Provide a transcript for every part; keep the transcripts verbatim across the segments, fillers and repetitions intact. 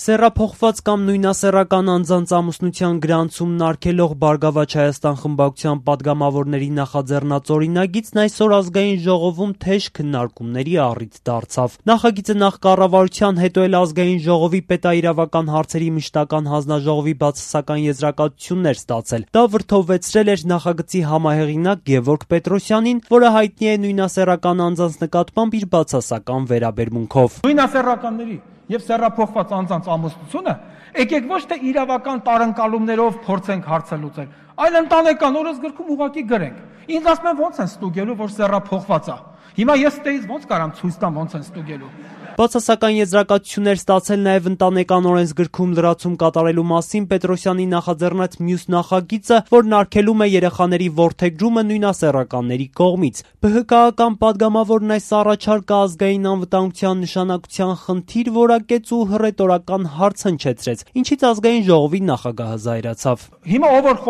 Սեռափոխված կամ նույնասեռական անձանց ամուսնության գրանցումն արգելող «Բարգավաճ Հայաստան» խմբակցության պատգամավորների նախաձեռնած օրինագիծն այսօր Ազգային ժողովում թեժ քննարկումների առիթ դարձավ։ Նախագիծը նախ կառավարության, հետո էլ Ազգային ժողովի պետաիրավական հարցերի մշտական հանձնաժողովի բացասական եզրակացությունն էր ստացել։ Դա վրդովվեցրել էր նախագծի համահեղինակ Գևորգ Պետրոսյանին, որը հայտնի է նույնասեռական անձանց նկատմամբ իր բացասական վերաբերմունքով։ Նույնասեռականների եւ սեռափոխված անձանց ամուսնությունը եկեք ոչ թե իրավական տարընկալումներով փորձենք հարցը լուծել, այլ ընտանեկան օրենսգրքում ուղղակի գրենք։ Ինձ ասում են ոնց են ստուգելու, որ սեռափոխված է։ Հիմա ես ստեից ոնց կարամ ցույց տամ ոնց են ստուգելու։ Բացասական եզրակացություններ ստացել նաև ընտանեկան օրենսգրքում լրացում կատարելու մասին Պետրոսյանի նախաձեռնած մյուս նախագիծը, որն արգելում է երեխաների որդեգրումը նույնասեռականների կողմից։ ԲՀԿ-ական պատգամավորն այս առաջարկը ազգային անվտանգության նշանակության խնդիր որակեց ու հռետորական հարց հնչեցրեց, ինչից Ազգային ժողովի նախագահը զայրացավ։ Հիմա ով որ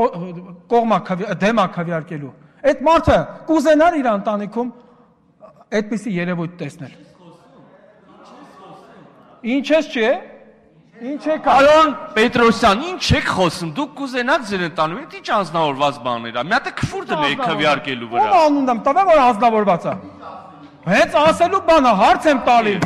կողմա դեմա քվեարկելու, այդ մարդը կուզենար իր ընտանիքում այդպիսի երևույթ տեսնել։ Ինչ ես չէ։ Ինչ եք Պարոն Պետրոսյան, ինչ եք խոսում։ Դուք կուզենաք ձեր ընտանիքում, դա ինչ անձնավորված բաներ է։ Մի հատ քֆուր դնեք քվեարկելու վրա։ Ո՞մ անունն եմ տվել, որ անձնավորված է։ Հենց ասելու բանը հարց եմ տալի։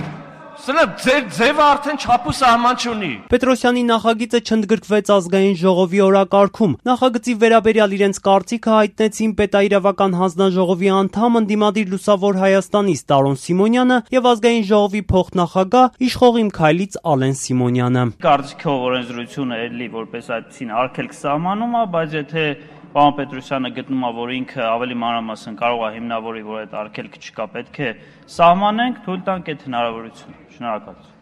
Սրա ձեր ձևը արդեն չափ ու սահման չունի։ Պետրոսյանի նախագիծը չընդգրկվեց Ազգային ժողովի օրակարգում։ Նախագծի վերաբերյալ իրենց կարծիքը հայտնեցին պետաիրավական հանձնաժողովի անդամ ընդդիմադիր Լուսավոր Հայաստանից Տարոն Սիմոնյանը եւ Ազգային ժողովի փոխնախագահ Իշխող իմ քայլից Ալեն Սիմոնյանը։ Կարծիքով օրենսդրությունը էլի որպես այդպեսին արգելք սահմանում է, բայց եթե պարոն Պետրոսյանը գտնում է, որ ինքը ավելի մանրամասն կարող է հիմնավորի, որ այդ արգելքը չկա, պետք է սահմանենք, թույլ տանք այդ հնարավորությունը։ Շնորհակալություն։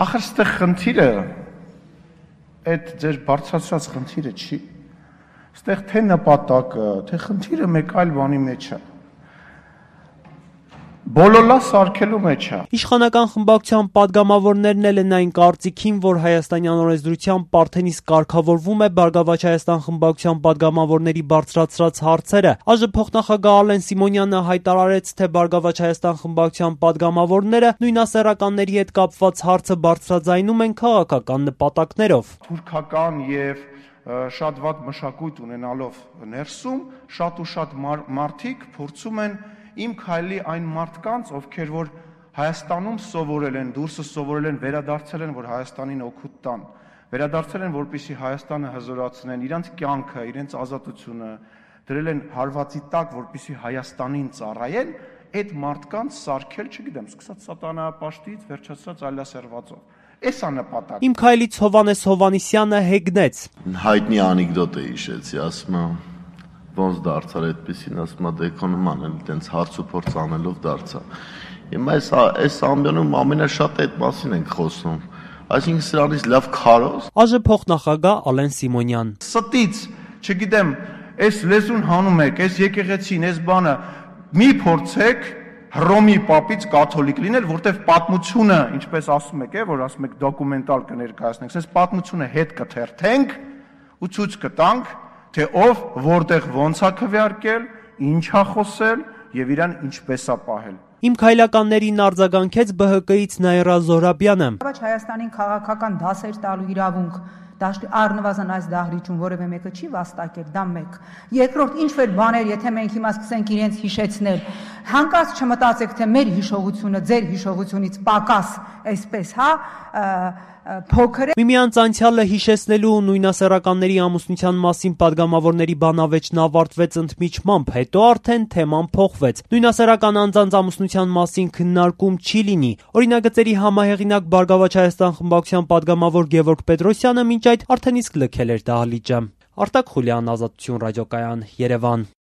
Ախր ստեղ խնդիրը այդ ձեր բարձրացրած խնդիրը չի։ Ստեղ թե նպատակը, թե խնդիրը մեկ այլ բանի մեջ է։ Բոլորը սարքելու մեջ է։ Իշխանական խմբակցության պատգամավորներն էլ են այն կարծիքին, որ հայաստանյան օրենսդրությամբ Պարթենիս կարգավորվում է Բարգավաճ Հայաստան խմբակցության պատգամավորների բարձրացրած հարցերը։ ԱԺ փոխնախագահ Ալեն Սիմոնյանը հայտարարեց, թե Բարգավաճ Հայաստան խմբակցության պատգամավորները նույնասեռականների հետ կապված հարցը բարձրաձայնում են քաղաքական նպատակներով։ Թուրքական եւ շատ վատ մշակույթ ունենալով ներսում շատ ու շատ մարդիկ փորձում են իմ քայլի այն մարդկանց, ովքեր որ Հայաստանում սովորել են, դուրսը սովորել են, վերադարձել են, որ Հայաստանին օգուտ տան, վերադարձել են, որպեսզի Հայաստանը հզորացնեն, իրենց կյանքը, իրենց ազատությունը դրել են հարվածի տակ, որպեսզի Հայաստանին ծառայեն, այդ մարդկանց սարքել, չգիտեմ, սկսած սատանայապաշտից, վերջացած այլասերվածով։ Էս է նպատակը։ Իմ քայլից Հովանես Հովանեսյանը հեգնեց։ Հայտնի անեկդոտ է հիշեցի, ասում եմ ոնց դարձար այդպեսին, ասում է դեկոնում էլ տենց հարց ու փորձ անելով դարձա։ Հիմա այս այս ամբիոնում ամենաշատը այդ մասին ենք խոսում։ Այսինքն սրանից լավ քարոզ։ ԱԺ փոխնախագահ Ալեն Սիմոնյան։ Ստից, չգիտեմ, այս լեզուն հանում եք, այս եկեղեցին, այս բանը մի փորձեք Հռոմի պապից կաթոլիկ լինել, որտեվ պատմությունը, ինչպես ասում եք, որ ասում եք դոկումենտալ կներկայացնենք, այս պատմությունը հետ կթերթենք ու ցույց կտանք, թե ով որտեղ ոնց է քվեարկել, ինչ է խոսել եւ իրան ինչպես է պահել։ Իմ քայլականներին արձագանքեց ԲՀԿ-ից Նաիրա Զոհրաբյանը։ Հայաստանին քաղաքական դասեր տալու իրավունք առնվազն այս դահլիճում որևէ մեկը չի վաստակել, դա մեկ։ Երկրորդ, ինչ-որ բաներ, եթե մենք հիմա սկսենք իրենց հիշեցնել, հանկարծ չմտածեք, թե մեր հիշողությունը ձեր հիշողությունից պակաս, այսպես, հա, փոքր է։ Միմյանց անցյալը հիշեցնելու ու նույնասեռականների ամուսնության մասին պատգամավորների բանավեճն ավարտվեց ընդմիջմամբ, հետո արդեն թեման փոխվեց։ Նույնասեռական անձանց ամուսնության մասին քննարկում չի լինի։ Օրինագծերի համահեղինակ Բարգավաճ Հայաստան խմբակցության պատգամավոր Գևորգ Պետրոսյանը մինչ այդ արդեն իսկ լքել էր դահլիճը։ Արտակ Խուլյան, Ազատություն ռադիոկայան, Երևան։